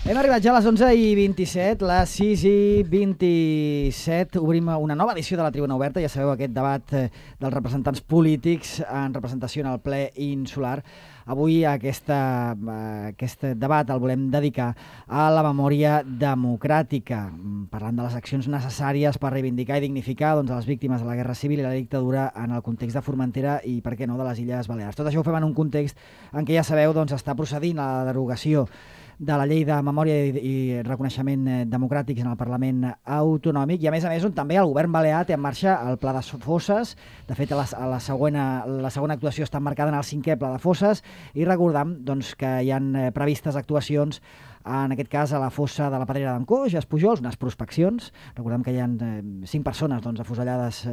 Hem arribat ja a les 11:27, les 6:27. Obrim una nova edició de la Tribuna Oberta. Ja sabeu, aquest debat dels representants polítics en representació en el ple insular. Avui aquest debat el volem dedicar a la memòria democràtica, parlant de les accions necessàries per reivindicar i dignificar a les víctimes de la Guerra Civil i la dictadura en el context de Formentera i, per què no, de les Illes Balears. Tot això ho fem en un context en què, ja sabeu, està procedint la derogació de la llei de memòria i reconeixement democràtics en el Parlament Autonòmic i, a més, on també el govern balear té en marxa el Pla de Fosses. De fet, la segona actuació està emmarcada en el 5è Pla de Fosses i recordam que hi han previstes actuacions, en aquest cas a la fossa de la Pedrera d'en Coix, a Espujols, unes prospeccions. Recordem que hi ha 5 persones afusellades,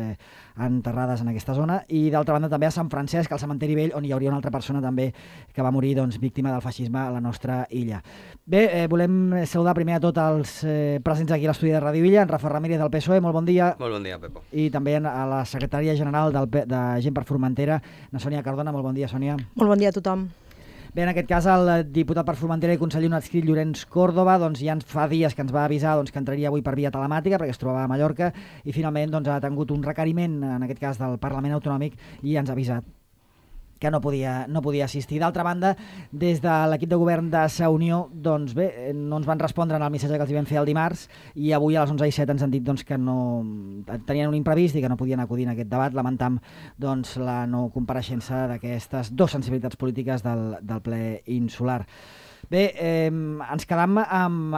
enterrades en aquesta zona, i d'altra banda també a Sant Francesc, al cementeri vell, on hi hauria una altra persona també que va morir víctima del feixisme a la nostra illa. Bé, volem saludar primer a tots els presents aquí a l'estudi de Ràdio Illa, en Rafa Ramírez del PSOE, molt bon dia. Molt bon dia, Pepo. I també a la secretària general de Gent per Formentera, na Sònia Cardona. Molt bon dia, Sònia. Molt bon dia a tothom. Bé, en aquest cas, el diputat per Formentera i conseller adscrit Llorenç Córdoba ja fa dies que ens va avisar que entraria avui per via telemàtica perquè es trobava a Mallorca i finalment ha tingut un requeriment, en aquest cas del Parlament Autonòmic, i ens ha avisat que no podia assistir. D'altra banda, des de l'equip de govern de Sa Unió, no ens van respondre al missatge que els vam fer el dimarts i avui a les 11:07 ens han dit que no tenien un imprevist i que no podien acudir en aquest debat. Lamentam la no compareixença d'aquestes dues sensibilitats polítiques del ple insular. Bé, ens quedam amb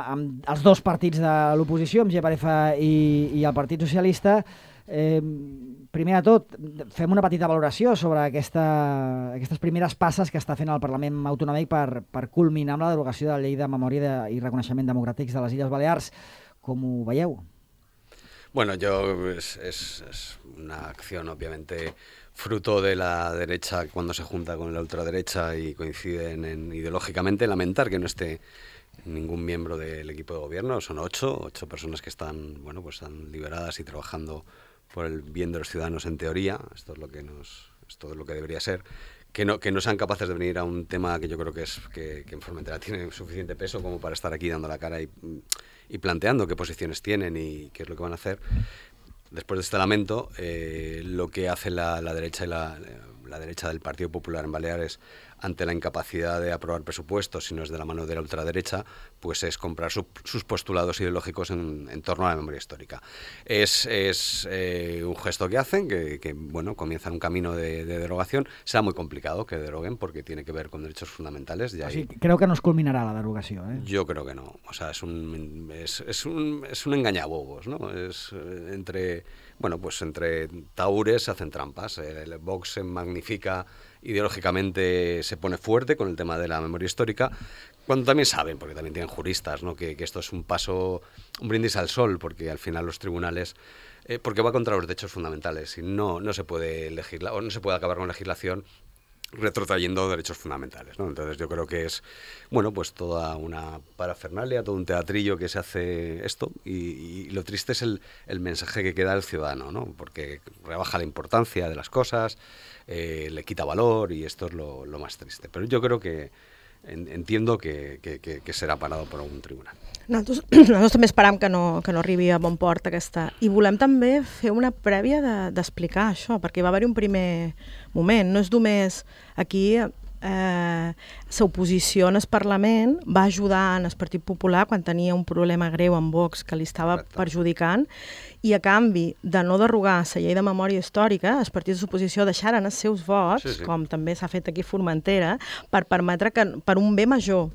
els dos partits de l'oposició, amb GPRF i el Partit Socialista. Primer de tot, fem una petita valoració sobre aquestes primeres passes que està fent el Parlament Autonòmic per culminar amb la derogació de la llei de memòria i reconeixement democràtics de les Illes Balears. Com ho veieu? Bueno, es una acción obviamente fruto de la derecha cuando se junta con la ultraderecha y coinciden ideológicamente. Lamentar que no esté ningún miembro del equipo de gobierno. Son 8 personas que están liberadas y trabajando por el bien de los ciudadanos en teoría. Esto es lo que debería ser. Que no sean capaces de venir a un tema que yo creo que en Formentera tiene suficiente peso como para estar aquí dando la cara y planteando qué posiciones tienen y qué es lo que van a hacer. Después de este lamento, lo que hace la derecha y la derecha del Partido Popular en Baleares ante la incapacidad de aprobar presupuestos, si no es de la mano de la ultraderecha, pues es comprar sus postulados ideológicos en torno a la memoria histórica. Es un gesto que hacen, que comienzan un camino de derogación. Será muy complicado que deroguen porque tiene que ver con derechos fundamentales. Creo que no es culminará la derogación, ¿eh? Yo creo que no. O sea, es un engañabobos, ¿no? Es entre tahures se hacen trampas. El Vox se magnifica ideológicamente, se pone fuerte con el tema de la memoria histórica, cuando también saben, porque también tienen juristas, ¿no? que esto es un brindis al sol, porque al final los tribunales, porque va contra los derechos fundamentales y no se puede legislar o no se puede acabar con legislación retrotrayendo derechos fundamentales, ¿no? Entonces yo creo que es toda una parafernalia, todo un teatrillo que se hace esto y lo triste es el mensaje que queda al ciudadano, ¿no? Porque rebaja la importancia de las cosas, le quita valor y esto es lo más triste. Pero yo creo que entiendo que serà parado per algun tribunal. Nosaltres també esperam que no arribi a bon port aquesta. I volem també fer una prèvia d'explicar això, perquè va haver-hi un primer moment. No és només aquí l'oposició en el Parlament va ajudar en el Partit Popular quan tenia un problema greu amb Vox que li estava perjudicant i a canvi de no derogar la llei de memòria històrica, els partits d'oposició deixaren els seus vots, com també s'ha fet aquí a Formentera, per permetre que per un bé major.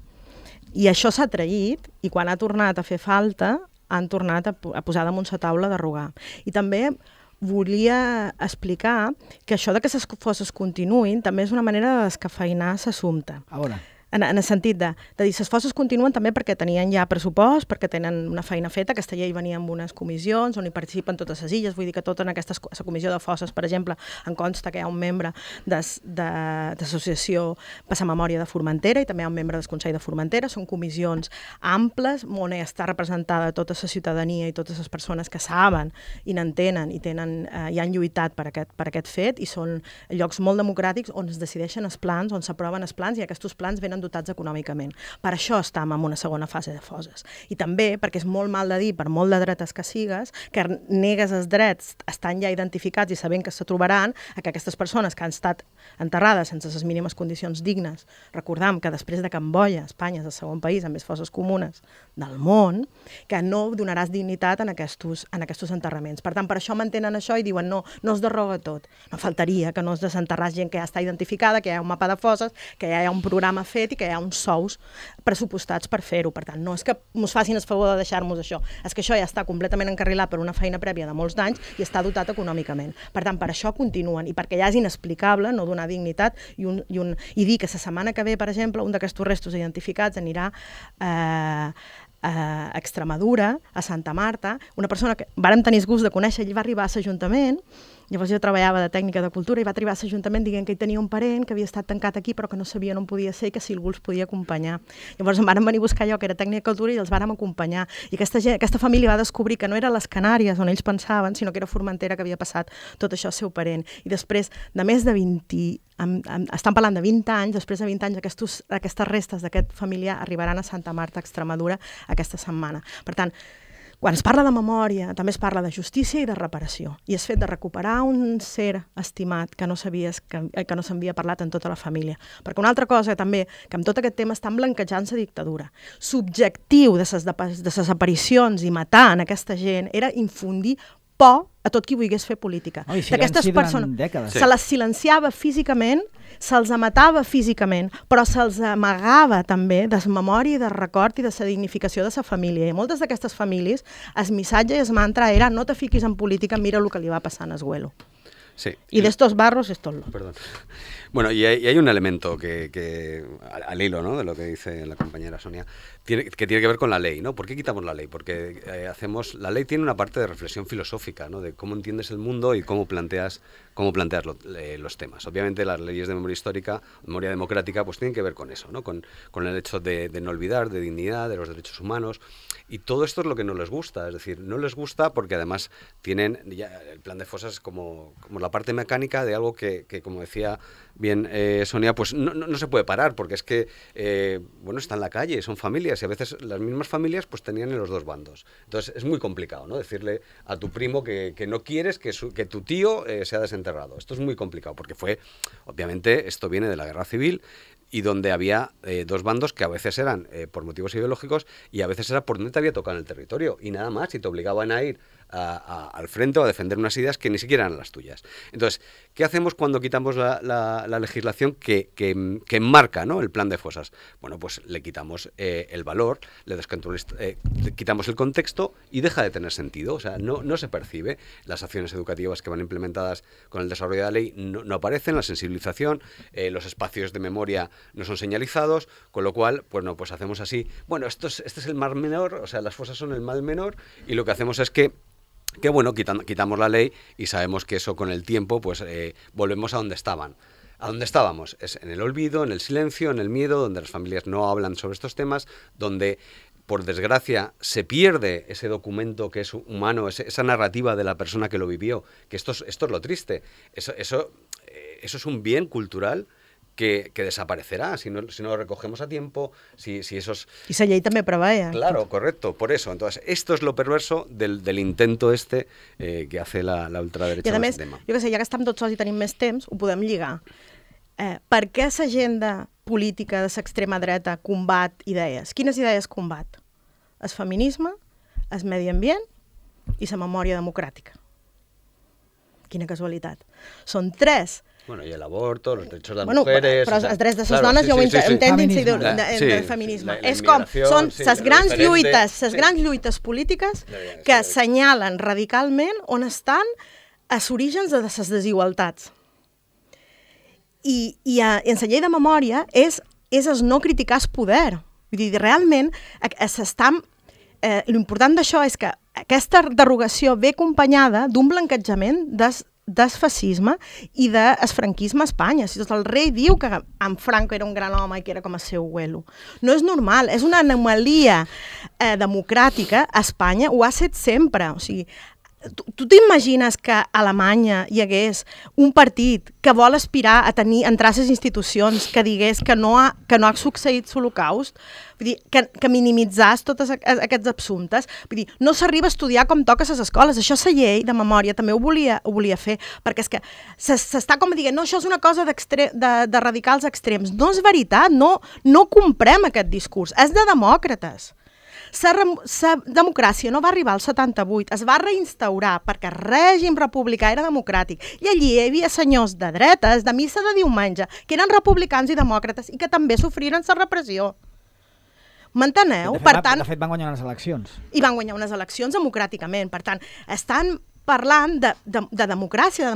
I això s'ha traït i quan ha tornat a fer falta han tornat a posar damunt la taula de derogar. I també volia explicar que això que les fosses continuïn també és una manera de descafeïnar l'assumpte. A veure. En el sentit de dir, les fosses continuen també perquè tenien ja pressupost, perquè tenen una feina feta. Aquesta llei venia amb unes comissions on hi participen totes les illes, vull dir que tota en aquesta comissió de fosses, per exemple, en consta que hi ha un membre d'associació Passar Memòria de Formentera i també hi ha un membre del Consell de Formentera. Són comissions amples on està representada tota la ciutadania i totes les persones que saben i n'entenen i han lluitat per aquest fet i són llocs molt democràtics on es decideixen els plans, on s'aproven els plans i aquests plans venen estan dotats econòmicament. Per això estem en una segona fase de foses. I també perquè és molt mal de dir, per molt de dretes que sigues, que negues els drets estan ja identificats i sabent que se trobaran a que aquestes persones que han estat enterrades sense les mínimes condicions dignes, recordam que després de Camboya, Espanya és el segon país amb més fosses comunes del món, que no donaràs dignitat en aquests enterraments. Per tant, per això mantenen això i diuen no es derroga tot. No faltaria que no es desenterràs gent que ja està identificada, que hi ha un mapa de fosses, que ja hi ha un programa fet i que hi ha uns sous pressupostats per fer-ho. Per tant, no és que ens facin el favor de deixar-nos això, és que això ja està completament encarrilat per una feina prèvia de molts d'anys i està dotat econòmicament. Per tant, per això continuen i perquè ja és inexplicable no donar dignitat i dir que la setmana que ve, per exemple, un d'aquests restos identificats anirà a Extremadura, a Santa Marta, una persona que vàrem tenir el gust de conèixer, ell va arribar a l'Ajuntament, llavors jo treballava de tècnica de cultura i va arribar a l'Ajuntament dient que hi tenia un parent que havia estat tancat aquí però que no sabia on podia ser i que si algú els podia acompanyar. Llavors em van venir a buscar jo, que era tècnica de cultura, i els vàrem acompanyar. I aquesta família va descobrir que no era les Canàries on ells pensaven, sinó que era Formentera, que havia passat tot això al seu parent. I després de més de 20, estan parlant de 20 anys, després de 20 anys aquestes restes d'aquest familiar arribaran a Santa Marta, Extremadura, aquesta setmana. Per tant, quan es parla de memòria, també es parla de justícia i de reparació. I és fet de recuperar un ser estimat que no sabies que no s'havia parlat en tota la família. Perquè una altra cosa també, que amb tot aquest tema estan blanquejant la dictadura. L'objectiu de les aparicions i matar en aquesta gent era infundir por a tot qui volgués fer política. I silenci durant dècades. Se les silenciava físicament, se'ls matava físicament, però se'ls amagava també de memòria i de record i de la dignificació de la família. I moltes d'aquestes famílies, el missatge i el mantra era no te fiquis en política, mira el que li va passar a Esguelo. Sí. Y de estos barros, esto lo. Perdón. Bueno, y hay un elemento que al hilo, ¿no?, de lo que dice la compañera Sonia, que tiene que ver con la ley, ¿no? ¿Por qué quitamos la ley? Porque la ley tiene una parte de reflexión filosófica, ¿no?, de cómo entiendes el mundo y cómo planteas los temas. Obviamente las leyes de memoria histórica, memoria democrática, pues tienen que ver con eso, ¿no?, con el hecho de no olvidar, de dignidad, de los derechos humanos, y todo esto es lo que no les gusta. Es decir, no les gusta porque además tienen ya el plan de fosas como la parte mecánica de algo que como decía bien Sonia, pues no se puede parar, porque es que bueno, está en la calle, son familias, y a veces las mismas familias pues tenían en los dos bandos. Entonces es muy complicado, ¿no?, decirle a tu primo que no quieres que tu tío sea desenterrado. Esto es muy complicado, porque obviamente esto viene de la guerra civil, y donde había dos bandos que a veces eran por motivos ideológicos y a veces era por donde te había tocado en el territorio, y nada más, y te obligaban a ir al frente o a defender unas ideas que ni siquiera eran las tuyas. Entonces, ¿qué hacemos cuando quitamos la legislación que enmarca, ¿no?, el plan de fosas? Bueno, pues le quitamos el valor, le quitamos el contexto y deja de tener sentido. O sea, no se percibe. Las acciones educativas que van implementadas con el desarrollo de la ley no aparecen, la sensibilización, los espacios de memoria no son señalizados, con lo cual, bueno, pues hacemos así. Bueno, este es el mal menor, o sea, las fosas son el mal menor, y lo que hacemos es que bueno, quitamos la ley y sabemos que eso con el tiempo pues volvemos a donde estaban. ¿A dónde estábamos? Es en el olvido, en el silencio, en el miedo, donde las familias no hablan sobre estos temas, donde por desgracia se pierde ese documento que es humano, esa narrativa de la persona que lo vivió, que esto es lo triste. Eso es un bien cultural que desaparecerá si no lo recogemos a tiempo, si esos... I la llei també preveia. Claro, correcto, por eso. Entonces, esto es lo perverso del intento que hace la ultraderecha. I a més, jo què sé, ja que estem tots sols i tenim més temps, ho podem lligar. Per què l'agenda política de l'extrema dreta combat idees? Quines idees combat? El feminisme, el medi ambient i la memòria democràtica. Quina casualitat. Són tres. Bueno, y el aborto, los derechos de las mujeres... Però els drets de les dones jo ho entenc del feminisme. És com, són les grans lluites polítiques que assenyalen radicalment on estan els orígens de les desigualtats. I en la llei de memòria és el no criticar el poder. Vull dir, realment, l'important d'això és que aquesta derogació ve acompanyada d'un blanquejament del fascisme i del franquisme a Espanya. Si el rei diu que en Franco era un gran home i que era com el seu abuelo. No és normal, és una anomalia democràtica. A Espanya ho ha set sempre. O sigui, Tu t'imagines que a Alemanya hi hagués un partit que vol aspirar a entrar a les institucions que digués que no ha succeït l'Holocaust? Vull dir, que minimitzàs tots aquests assumptes. Vull dir, no s'arriba a estudiar com toca a les escoles. Això la llei de memòria també ho volia fer, perquè és que s'està com dient, no, això és una cosa de radicals extrems. No és veritat, no comprem aquest discurs. És de demòcrates. La democràcia no va arribar al 78, es va reinstaurar perquè el règim republicà era democràtic i allí hi havia senyors de dretes, de missa de diumenge, que eren republicans i demòcrates i que també sofriren la repressió. M'enteneu? De fet, van guanyar unes eleccions. I van guanyar unes eleccions democràticament. Per tant, estan parlant de democràcia,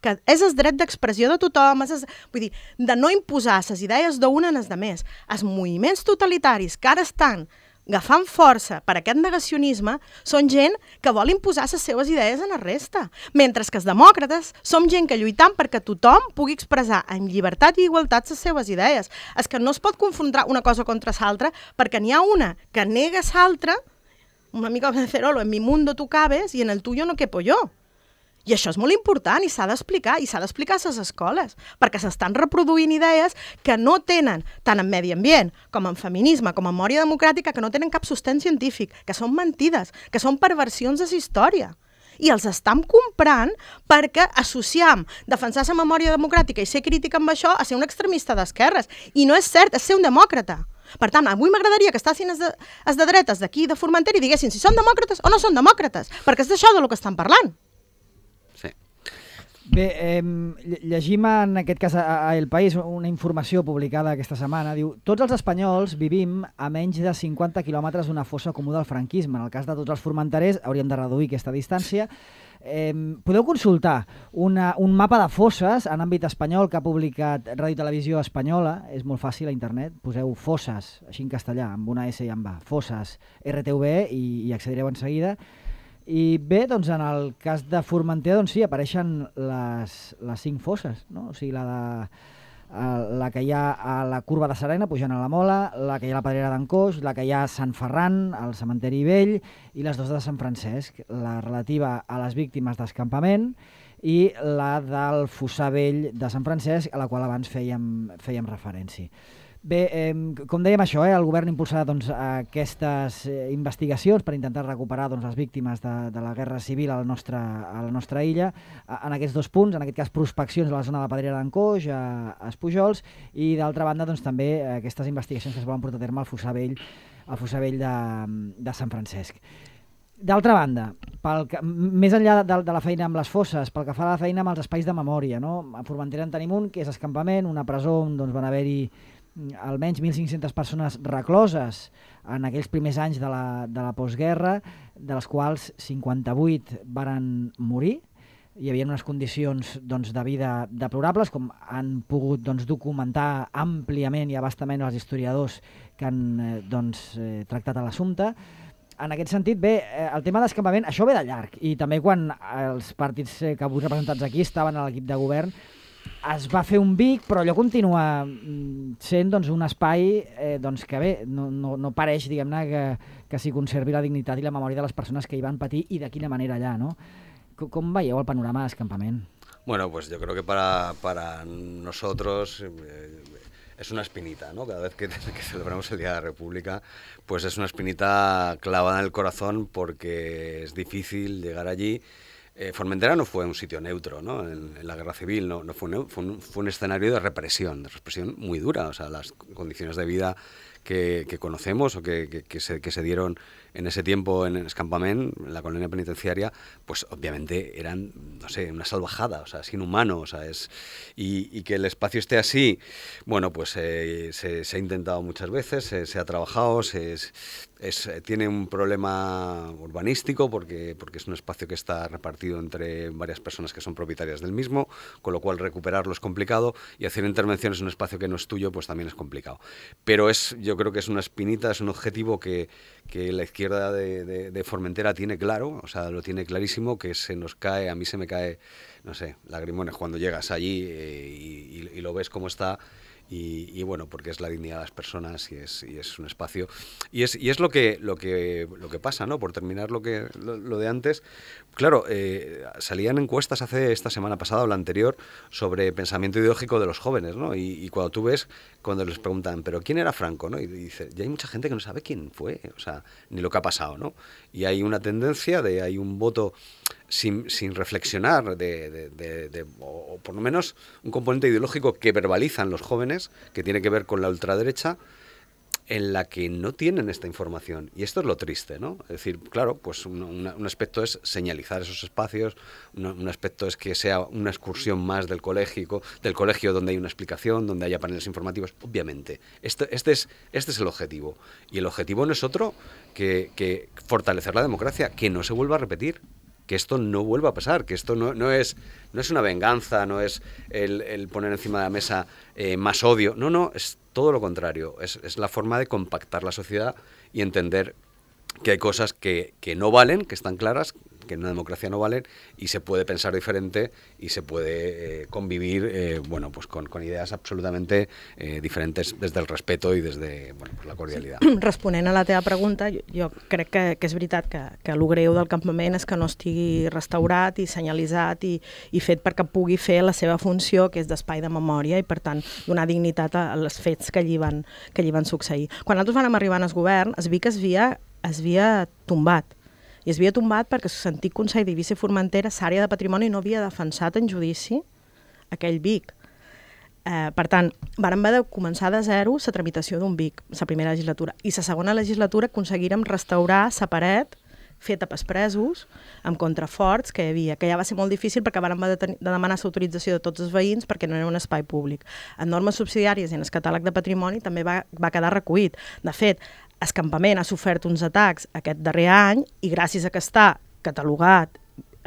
que és el dret d'expressió de tothom, vull dir, de no imposar les idees d'una en les altres. Els moviments totalitaris que ara estan agafant força per aquest negacionisme són gent que vol imposar les seves idees en la resta, mentre que els demòcrates som gent que lluitam perquè tothom pugui expressar en llibertat i igualtat les seves idees. És que no es pot confrontar una cosa contra l'altra perquè n'hi ha una que nega l'altra, una mica de Cerolo, en mi mundo tu cabes i en el tuyo no quepo yo. I això és molt important i s'ha d'explicar, a les escoles, perquè s'estan reproduint idees que no tenen, tant en medi ambient com en feminisme, com en memòria democràtica, que no tenen cap sostén científic, que són mentides, que són perversions de la història. I els estem comprant perquè associam defensar la memòria democràtica i ser crítica amb això a ser un extremista d'esquerres. I no és cert, és ser un demòcrata. Per tant, avui m'agradaria que estiguessin els de dretes d'aquí de Formentera i diguessin si són demòcrates o no són demòcrates, perquè és d'això de lo que estan parlant. Bé, llegim en aquest cas a El País una informació publicada aquesta setmana. Diu, tots els espanyols vivim a menys de 50 quilòmetres d'una fossa comú del franquisme. En el cas de tots els formenterers hauríem de reduir aquesta distància. Podeu consultar un mapa de fosses en àmbit espanyol que ha publicat Ràdio i Televisió Espanyola. És molt fàcil a internet. Poseu fosses, així en castellà, amb una S i amb A. Fosses, RTV, i accedireu en seguida. I bé, doncs en el cas de Formentera, doncs sí, apareixen les 5 fosses, no? O sigui, la que hi ha a la Curva de Serena, pujant a la Mola, la que hi ha a la Pedrera d'en Coix, la que hi ha a Sant Ferran, al Cementeri Vell, i les 2 de Sant Francesc, la relativa a les víctimes d'escampament i la del Fossar Vell de Sant Francesc, a la qual abans fèiem referència. Bé, com dèiem això, el govern impulsarà aquestes investigacions per intentar recuperar les víctimes de la guerra civil a la nostra illa, en aquests 2 punts, en aquest cas prospeccions a la zona de la Pedrera d'en Coix, a Espujols, i d'altra banda també aquestes investigacions que es volen portar a terme al Fossar Vell de Sant Francesc. D'altra banda, més enllà de la feina amb les fosses, pel que fa a la feina amb els espais de memòria, no? A Formentera en tenim un, que és escampament, una presó on van haver-hi almenys 1.500 persones recloses en aquells primers anys de la postguerra, de les quals 58 varen morir. Hi havia unes condicions de vida deplorables, com han pogut documentar àmpliament i abastament els historiadors que han tractat l'assumpte. En aquest sentit, bé, el tema d'escampament, això ve de llarg, i també quan els partits que avui representats aquí estaven a l'equip de govern, es va fer un BIC, però allò continua sent un espai que bé, no pareix, diguem-ne, que s'hi conservi la dignitat i la memòria de les persones que hi van patir i de quina manera allà, no? Com veieu el panorama d'escampament? Bueno, pues yo creo que para nosotros es una espinita, ¿no? Cada vez que celebramos el Día de la República, pues es una espinita clavada en el corazón porque es difícil llegar allí. Formentera no fue un sitio neutro, ¿no? En la guerra civil no fue un escenario de represión muy dura. O sea, las condiciones de vida que conocemos o que se dieron en ese tiempo en Escampament, en la colonia penitenciaria, pues obviamente eran, no sé, una salvajada, o sea, es inhumano, o sea, y que el espacio esté así, bueno, pues se ha intentado muchas veces, se ha trabajado, tiene un problema urbanístico porque es un espacio que está repartido entre varias personas que son propietarias del mismo, con lo cual recuperarlo es complicado, y hacer intervenciones en un espacio que no es tuyo pues también es complicado. Pero yo creo que es una espinita, es un objetivo que la izquierda de Formentera tiene claro, o sea, lo tiene clarísimo, que a mí se me cae, no sé, lagrimones cuando llegas allí y lo ves cómo está. y bueno, porque es la dignidad de las personas y es un espacio. Y es lo que pasa, ¿no? Por terminar lo de antes, claro, salían encuestas esta semana pasada o la anterior sobre pensamiento ideológico de los jóvenes, ¿no? Y cuando tú ves, cuando les preguntan, ¿pero quién era Franco? ¿No? Y dice, ya hay mucha gente que no sabe quién fue, o sea, ni lo que ha pasado, ¿no? Y hay una tendencia hay un voto sin reflexionar o por lo menos un componente ideológico que verbalizan los jóvenes, que tiene que ver con la ultraderecha, en la que no tienen esta información. Y esto es lo triste, ¿no? Es decir, claro, pues un aspecto es señalizar esos espacios, un aspecto es que sea una excursión más del colegio donde hay una explicación, donde haya paneles informativos. Obviamente, este es el objetivo. Y el objetivo no es otro que fortalecer la democracia, que no se vuelva a repetir, que esto no vuelva a pasar, que esto no es una venganza, no es el poner encima de la mesa más odio, no, es todo lo contrario, es la forma de compactar la sociedad y entender que hay cosas que no valen, que están claras, que en una democracia no valen, y se puede pensar diferente y se puede convivir bueno, pues con idees absolutamente diferents desde el respeto i desde pues la cordialitat. Responent a la teva pregunta, jo crec que és veritat que el greu del campament és que no estigui restaurat i senyalitzat i fet perquè pugui fer la seva funció, que és d'espai de memòria, i per tant donar dignitat als fets que allí van succeir. Quan nosaltres vam arribar al govern, es via que es havia tombat. I es havia tombat perquè l'antic Consell d'Eivissa i Formentera, l'àrea de patrimoni, no havia defensat en judici aquell BIC. Per tant, vam haver de començar de zero la tramitació d'un BIC, la primera legislatura. I la segona legislatura aconseguirem restaurar la paret feta pels presos, amb contraforts que hi havia, que ja va ser molt difícil perquè vam haver de demanar l'autorització de tots els veïns perquè no era un espai públic. En normes subsidiàries i en el catàleg de patrimoni també va quedar recollit. De fet, el campament ha sofert uns atacs aquest darrer any i gràcies a que està catalogat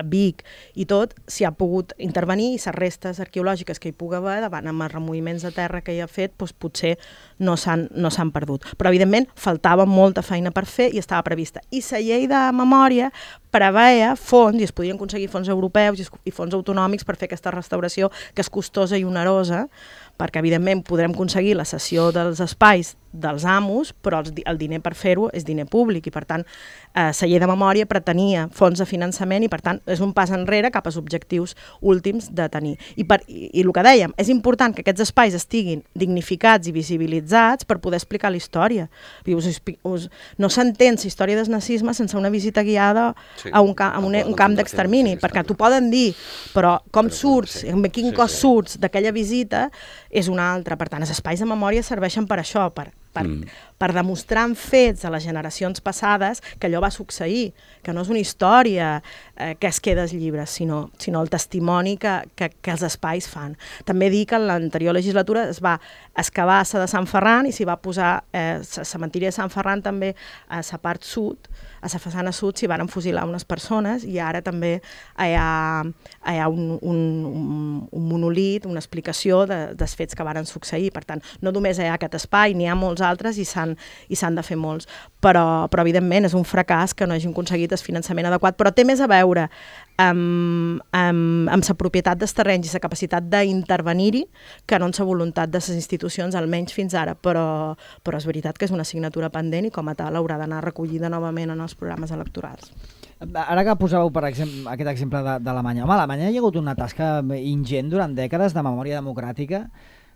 Vic i tot, s'hi ha pogut intervenir i les restes arqueològiques que hi pugui haver davant amb els removiments de terra que hi ha fet doncs potser no s'han perdut. Però evidentment faltava molta feina per fer i estava prevista. I la llei de memòria preveia fons, i es podien aconseguir fons europeus i fons autonòmics per fer aquesta restauració que és costosa i onerosa, perquè evidentment podrem aconseguir la cessió dels espais dels amos, però el diner per fer-ho és diner públic i per tant la llei de memòria pretenia fons de finançament i per tant és un pas enrere cap als objectius últims de tenir. I el que dèiem, és important que aquests espais estiguin dignificats i visibilitzats per poder explicar la història. No s'entén la història del nazisme sense una visita guiada a un camp d'extermini, perquè t'ho poden dir, però com surts, amb quin cos surts d'aquella visita és una altra. Per tant, els espais de memòria serveixen per això, per demostrar en fets a les generacions passades que allò va succeir, que no és una història que es queda als llibres, sinó el testimoni que els espais fan. També dic que en l'anterior legislatura es va excavar la de Sant Ferran i s'hi va posar la cementiri de Sant Ferran també a la part sud, a la façana sud s'hi van fusilar unes persones i ara també hi ha un monolit, una explicació dels fets que varen succeir. Per tant, no només hi ha aquest espai, n'hi ha molts altres i s'han de fer molts. Però evidentment és un fracàs que no hagin aconseguit el finançament adequat, però té més a veure amb la propietat dels terrenys i la capacitat d'intervenir-hi que no amb la voluntat de les institucions, almenys fins ara. Però és veritat que és una assignatura pendent i com a tal haurà d'anar recollida novament en els programes electorals. Ara que posàveu, per exemple, aquest exemple d'Alemanya. Home, a Alemanya hi ha hagut una tasca ingent durant dècades de memòria democràtica,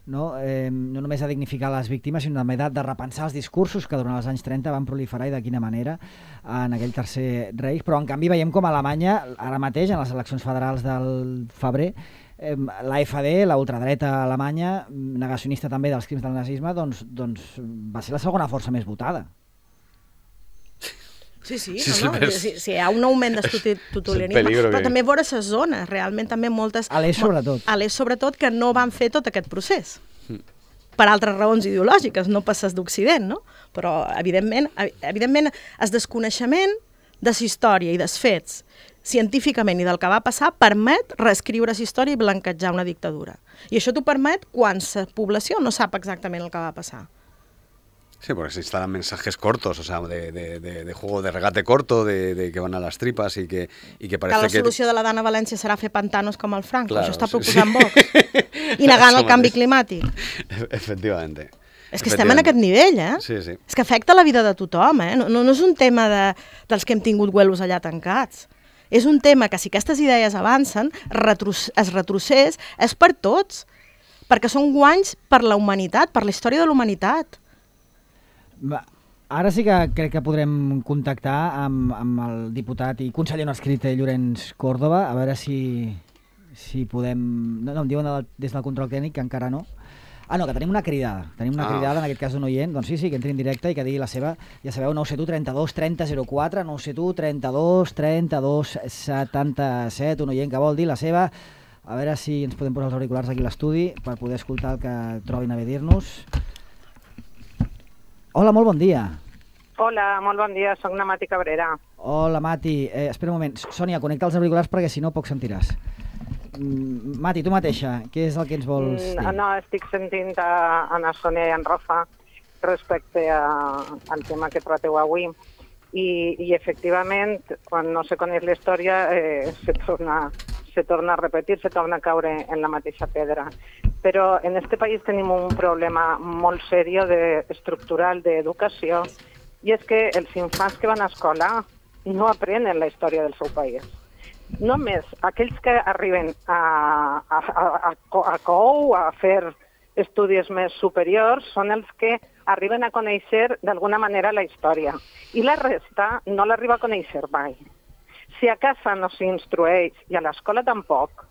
no només de dignificar les víctimes, sinó també de repensar els discursos que durant els anys 30 van proliferar i de quina manera en aquell tercer Reich. Però en canvi veiem com a Alemanya, ara mateix, en les eleccions federals del febrer, l'AfD, la ultradreta alemanya, negacionista també dels crims del nazisme, doncs va ser la segona força més votada. Sí, hi ha un augment d'estudianisme, però també vora les zones, realment també moltes... A l'est sobretot. A l'est sobretot, que no van fer tot aquest procés. Per altres raons ideològiques, no pas les d'Occident, no? Però, evidentment, el desconeixement de la història i dels fets científicament i del que va passar permet reescriure la història i blanquejar una dictadura. I això t'ho permet quan la població no sap exactament el que va passar. Sí, porque se instalan mensajes cortos, o sea, de juego de regate corto, de que van a las tripas i que parece que la solució de la Dana València serà fer pantanos com el Franco, claro, això està proposant Vox, i negant el canvi climàtic. Efectivamente. És que estem en aquest nivell, eh? Sí, sí. És que afecta la vida de tothom, eh? No és un tema dels que hem tingut güelos allà tancats. És un tema que si aquestes idees avancen, es retrocés, és per tots, perquè són guanys per la humanitat, per la història de la humanitat. Ara sí que crec que podrem contactar amb el diputat i conseller no escrit Llorenç Córdoba, a veure si podem... No, em diuen des del control tècnic que encara no. Ah, no, que tenim una cridada. Tenim una cridada, en aquest cas d'un oient. Doncs sí, que entri en directe i que digui la seva. Ja sabeu, 971 32 30 04, 971 32 32 77, un oient que vol dir la seva. A veure si ens podem posar els auriculars aquí a l'estudi per poder escoltar el que trobin a bé dir-nos. Hola, molt bon dia. Hola, molt bon dia, soc la Mati Cabrera. Hola, Mati. Espera un moment. Sònia, connecta els auriculars perquè si no poc sentiràs. Mati, tu mateixa, què és el que ens vols dir? No, estic sentint a Sònia i en Rafa respecte al tema que trateu avui. I efectivament, quan no se coneix la història, se torna a repetir, se torna a caure en la mateixa pedra. Però en este país tenim un problema molt seriós estructural d'educació, i és que els infants que van a escola no aprenen la història del seu país. Només aquells que arriben a COU, a fer estudis més superiors, són els que arriben a conèixer d'alguna manera la història. I la resta no l'arriba a conèixer mai. Si a casa no s'instrueix i a l'escola tampoc,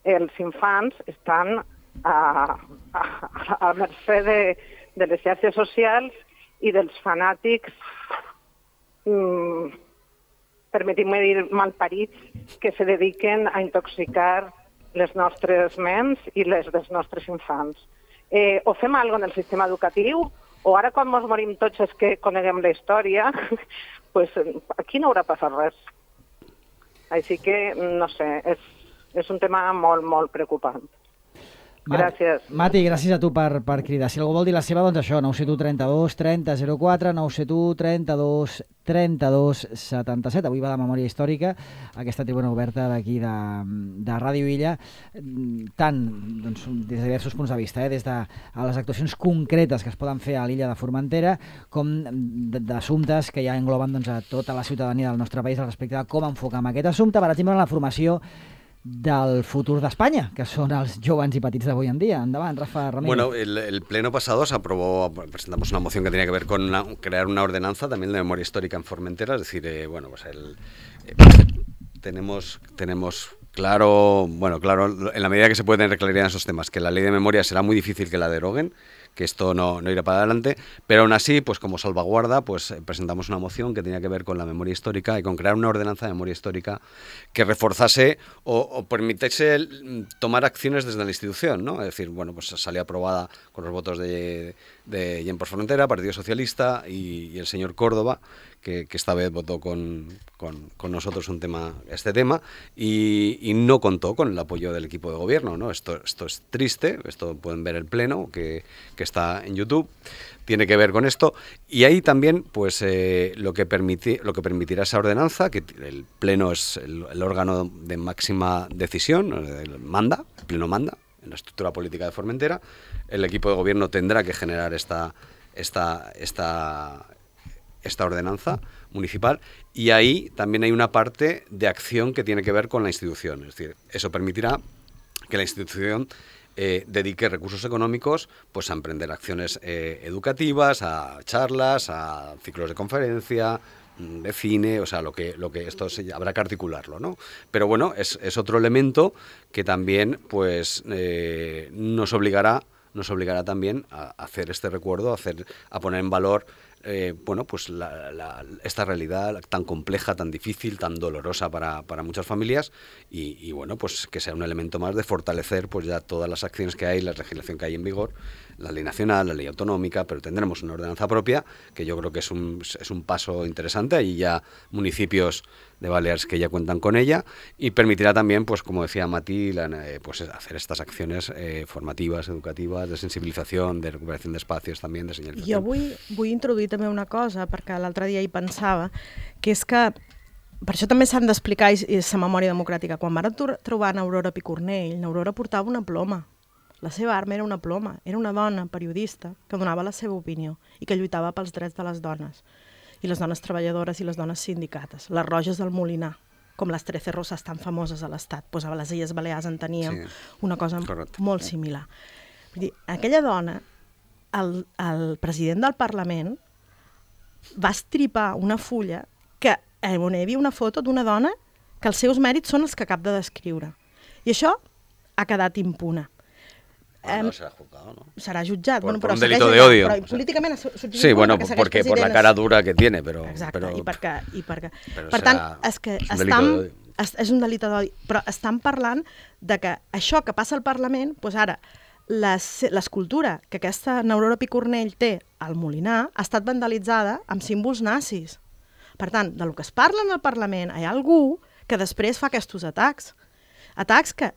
els infants estan a mercè de les xarxes socials i dels fanàtics, permetim-me dir, malparits, que se dediquen a intoxicar les nostres ments i les dels nostres infants. O fem alguna cosa en el sistema educatiu, o ara quan ens morim tots és que coneguem la història, pues aquí no haurà passat res. Així que, no sé, és un tema molt, molt preocupant. Gràcies. Mati, gràcies a tu per cridar. Si algú vol dir la seva, doncs això, 971 32 30 04, 971 32 32 77. Avui va de memòria històrica, aquesta tribuna oberta d'aquí de Ràdio Illa, tant doncs, des de diversos punts de vista, des de les actuacions concretes que es poden fer a l'illa de Formentera, com d'assumptes que ja engloben doncs, a tota la ciutadania del nostre país respecte a com enfocar aquest assumpte, per exemple, en la formació del futur d'Espanya, que son los jóvenes y patitos de hoy en día. Andaban, Rafa Ramírez. Bueno, el pleno pasado se aprobó, presentamos una moción que tenía que ver con crear una ordenanza también de memoria histórica en Formentera, es decir, bueno, pues tenemos claro, en la medida que se puede tener claridad en esos temas, que la ley de memoria será muy difícil que la deroguen, que esto no irá para adelante, pero aún así, pues como salvaguarda, pues presentamos una moción que tenía que ver con la memoria histórica y con crear una ordenanza de memoria histórica que reforzase o permitiese tomar acciones desde la institución, ¿no? Es decir, bueno, pues salió aprobada con los votos de Gent per Formentera, Partido Socialista y el señor Córdoba, que esta vez votó con nosotros este tema y no contó con el apoyo del equipo de gobierno, ¿no? Esto es triste, esto pueden ver el pleno que está en YouTube, tiene que ver con esto, y ahí también pues lo que permitirá esa ordenanza, que el pleno es el órgano de máxima decisión, el pleno manda en la estructura política de Formentera, el equipo de gobierno tendrá que generar esta ordenanza municipal, y ahí también hay una parte de acción que tiene que ver con la institución. Es decir, eso permitirá que la institución dedique recursos económicos pues a emprender acciones educativas, a charlas, a ciclos de conferencia, de cine, o sea, lo que esto habrá que articularlo, ¿no? Pero bueno, es otro elemento que también pues nos obligará también a hacer este recuerdo, a poner en valor bueno, pues esta realidad tan compleja, tan difícil, tan dolorosa para muchas familias y bueno, pues que sea un elemento más de fortalecer pues ya todas las acciones que hay, la legislación que hay en vigor, la ley nacional, la ley autonómica, pero tendremos una ordenanza propia que yo creo que es un paso interesante. Hay ya municipios de Baleares que ya cuentan con ella y permitirá también, pues como decía Mati, pues hacer estas acciones formativas, educativas, de sensibilització, de recuperació d'espais també, de senyalització. Jo vull introduir també una cosa, perquè l'altre dia hi pensava, que és que per això també s'han d'explicar la memòria democràtica. Quan van trobar Aurora Picornell, Aurora portava una ploma. La seva arma era una ploma. Era una dona periodista que donava la seva opinió i que lluitava pels drets de les dones. I les dones treballadores i les dones sindicates. Les Roges del Molinar, com les 13 Roses tan famoses a l'Estat. Pues a les Illes Balears en teníem una cosa molt similar. Vull dir, aquella dona, el president del Parlament va estripar una fulla on hi havia una foto d'una dona que els seus mèrits són els que acaba de descriure. I això ha quedat impune. No será juzgado, ¿no? Será jutjat. Por un delito de odio. Però políticament sí, bueno, porque por la cara dura que tiene, pero... Exacte, però, i perquè... Però per tant, és un delicte d'odi. Però estan parlant de que això que passa al Parlament, doncs ara, l'escultura que aquesta Aurora Picornell té al Molinar ha estat vandalitzada amb símbols nazis. Per tant, del que es parla en el Parlament, hi ha algú que després fa aquests atacs. Atacs que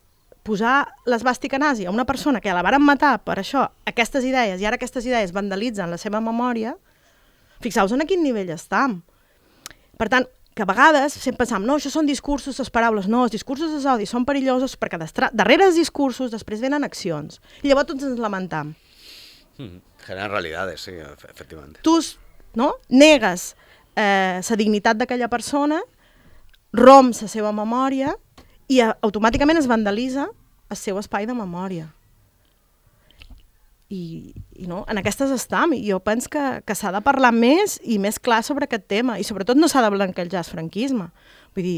posar l'esbàstica nazi a una persona que la varen matar per això, aquestes idees, i ara aquestes idees vandalitzen la seva memòria, fixeu-vos en quin nivell estem. Per tant, que a vegades sempre pensam, no, això són discursos, les paraules, no, els discursos dels odis són perillosos perquè darrere els discursos després venen accions. I llavors tots ens lamentam. Generan realitats, sí, efectivament. Tu negues la dignitat d'aquella persona, romps la seva memòria i automàticament es vandalitza el seu espai de memòria. I no, en aquestes estem, i jo penso que s'ha de parlar més i més clar sobre aquest tema, i sobretot no s'ha de blanquejar el franquisme. Vull dir,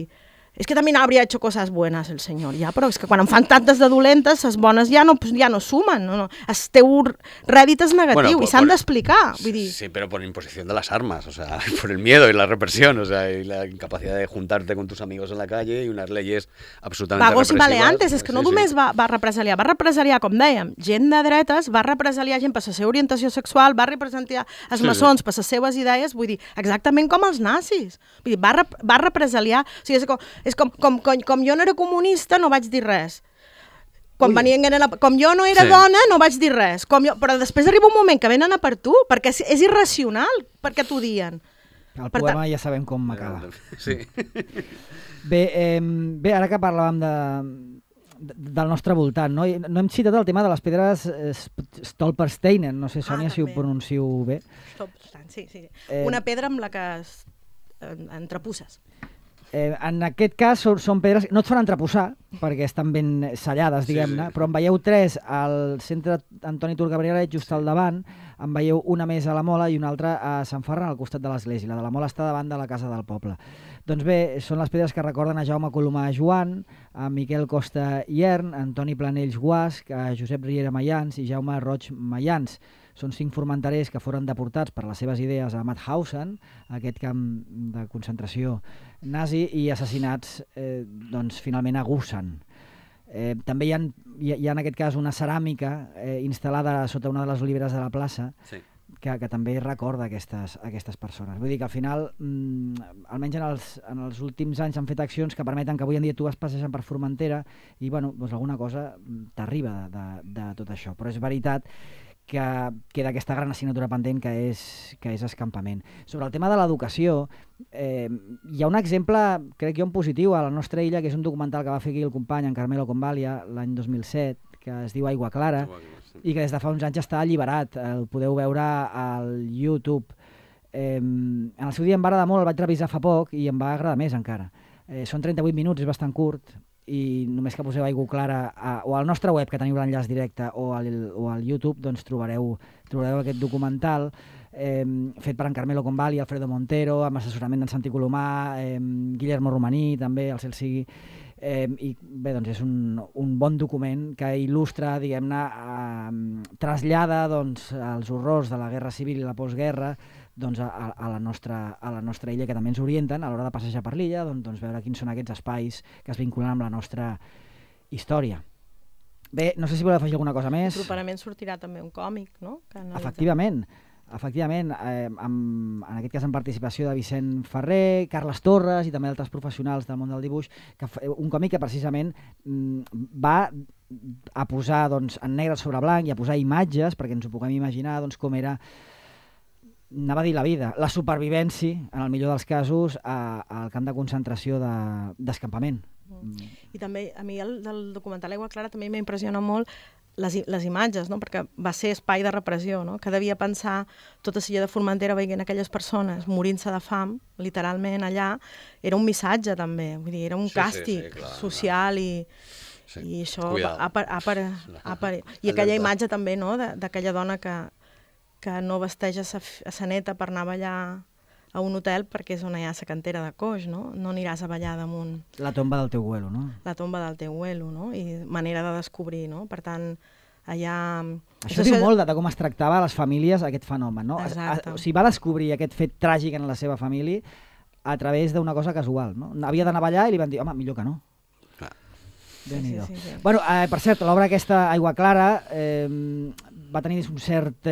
és que també habría hecho cosas buenas el senyor, ja, però és que quan en fan tantes de dolentes, les bones ja no sumen, no. El teu rèdit és negatiu, i s'han d'explicar, vull dir... Sí, pero por imposición de las armas, o sea, por el miedo y la represión, o sea, y la incapacidad de juntarte con tus amigos en la calle y unas leyes absolutamente Vagos represivas. I maleantes, és que no només va represaliar, com dèiem, gent de dretes, va represaliar gent per la seva orientació sexual, va represaliar els maçons per les seves idees, vull dir, exactament com els nazis. Vull dir, va represaliar... O sigui, és com jo no era comunista, no vaig dir res. Com jo no era dona, no vaig dir res. Però després arriba un moment que venen a per tu, perquè és irracional perquè t'ho dien. El poema ja sabem com acaba. Sí. Bé, ara que parlàvem del nostre voltant, no hem citat el tema de les pedres Stolpersteinen, no sé, Sònia, si ho pronuncio bé. Sí. Una pedra amb la que entrepusses. En aquest cas són pedres, no et fan entreposar perquè estan ben sellades, diguem-ne, però en veieu 3 al centre Antoni Turcabrialet, just al davant, en veieu una més a la Mola i una altra a Sant Ferran, al costat de l'església. La de la Mola està davant de la casa del poble. Doncs bé, són les pedres que recorden a Jaume Colomà Joan, a Miquel Costa Iern, a Antoni Planells Guasc, a Josep Riera Mayans i Jaume Roig Mayans. Són 5 formenterers que foren deportats per les seves idees a Mauthausen, aquest camp de concentració nazi, i assassinats finalment a Gusen. També hi ha en aquest cas una ceràmica instal·lada sota una de les oliveres de la plaça que també recorda aquestes persones. Vull dir que al final, almenys en els últims anys, s'han fet accions que permeten que avui en dia tu vas passejant per Formentera i alguna cosa t'arriba de tot això. Però és veritat que queda aquesta gran assignatura pendent que és escampament. Sobre el tema de l'educació, hi ha un exemple, crec jo, en positiu a la nostra illa, que és un documental que va fer aquí el company, en Carmelo Convalia, l'any 2007, que es diu Aigua Clara, i que des de fa uns anys està alliberat. El podeu veure al YouTube. En el seu dia em va agradar molt, el vaig revisar fa poc i em va agradar més encara. Són 38 minuts, és bastant curt, i només que poseu Aigua Clara o al nostre web, que teniu l'enllaç directe, o al YouTube, doncs trobareu aquest documental fet per en Carmelo Convalia, Alfredo Montero, amb assessorament d'en Santi Colomà, Guillermo Romaní, també, el cel sigui. I bé, doncs és un bon document que il·lustra, diguem-ne, trasllada els horrors de la guerra civil i la postguerra doncs, a la nostra illa, que també ens orienten a l'hora de passejar per l'illa, doncs veure quins són aquests espais que es vinculen amb la nostra història. Bé, no sé si voleu afegir alguna cosa més. Properament sortirà també un còmic, no? Efectivament, en aquest cas en participació de Vicent Ferrer, Carles Torres i també altres professionals del món del dibuix, un còmic que precisament va a posar doncs, en negre sobre blanc i a posar imatges perquè ens ho puguem imaginar doncs, com era, anava a dir la vida, la supervivència, en el millor dels casos, al camp de concentració d'escampament. I també, a mi del documental Aigua Clara també m'impressiona molt les imatges, no? Perquè va ser espai de repressió, no? Que devia pensar tota Silla de Formentera veient aquelles persones morint-se de fam, literalment allà, era un missatge també, vull dir, era un càstig social i això i aquella imatge també, no? D'aquella dona que no vesteix a sa neta per anar a ballar a un hotel perquè és on hi ha la cantera de coix, no? No aniràs a ballar damunt. La tomba del teu abuelo, no? La tomba del teu abuelo, no? I manera de descobrir, no? Per tant, allà... Això diu molt de com es tractava a les famílies aquest fenomen, no? Exacte. O sigui, va descobrir aquest fet tràgic en la seva família a través d'una cosa casual, no? Havia d'anar a ballar i li van dir, home, millor que no. Déu-n'hi-do. Sí. Bueno, per cert, l'obra aquesta, Aigua Clara, va tenir un cert...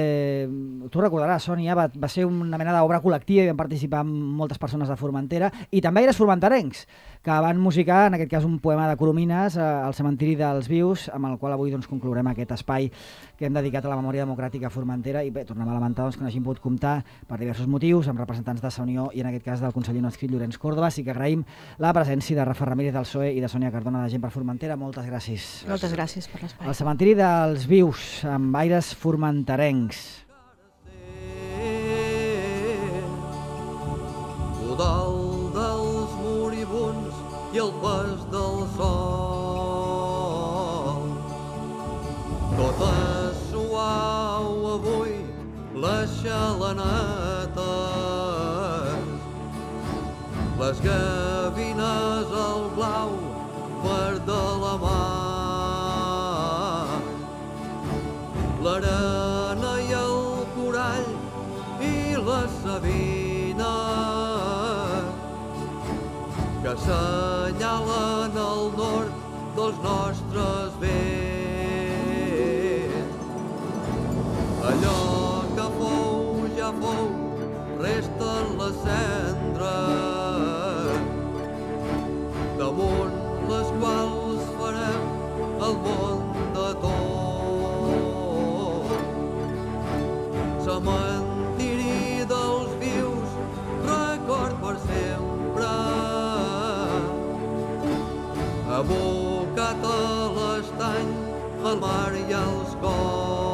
tu recordaràs, Sònia, va ser una mena d'obra col·lectiva i van participar moltes persones de Formentera i també aires formenterencs, que van musicar, en aquest cas, un poema de Coromines al cementiri dels Vius, amb el qual avui doncs, conclourem aquest espai que hem dedicat a la memòria democràtica a Formentera i bé, tornem a lamentar doncs, que no hagin pogut comptar per diversos motius amb representants de Sa Unió i en aquest cas del conseller no adscrit Llorenç Córdoba. Sí que agraïm la presència de Rafa Ramírez del PSOE i de Sònia Cardona de Gent per Formentera. Moltes gràcies. Moltes gràcies per l'espai. El cementiri dels Vius, amb aires formenterencs. Dalt dels moribuns i el pas del sol. Tot és suau avui, les xalanetes, les gavines al blau verd de la mar, l'arena i el corall i la savina que assenyalen el nord dels nostres vents. Allò que fou ja fou, resten les cendres, damunt les quals farem el món de tot. Cementiri dels vius, record per sempre, abocat a l'estany, al mar i als cors.